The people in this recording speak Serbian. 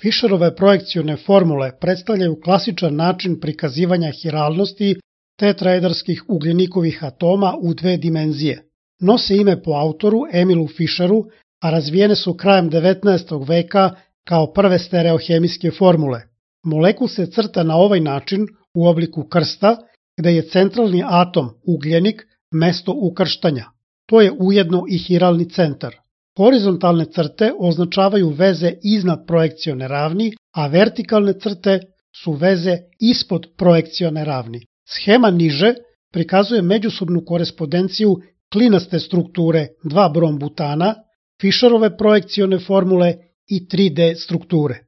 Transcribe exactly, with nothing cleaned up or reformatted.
Fisherove projekcione formule predstavljaju klasičan način prikazivanja hiralnosti tetraederskih ugljenikovih atoma u dve dimenzije. Nose ime po autoru Emilu Fisheru, a razvijene su krajem devetnaestog veka kao prve stereohemijske formule. Molekul se crta na ovaj način u obliku krsta, gde je centralni atom ugljenik mesto ukrštanja. To je ujedno i hiralni centar. Horizontalne crte označavaju veze iznad projekcione ravni, a vertikalne crte su veze ispod projekcione ravni. Schema niže prikazuje međusobnu korespondenciju klinaste strukture dva brom butana, Fisherove projekcione formule i tri D strukture.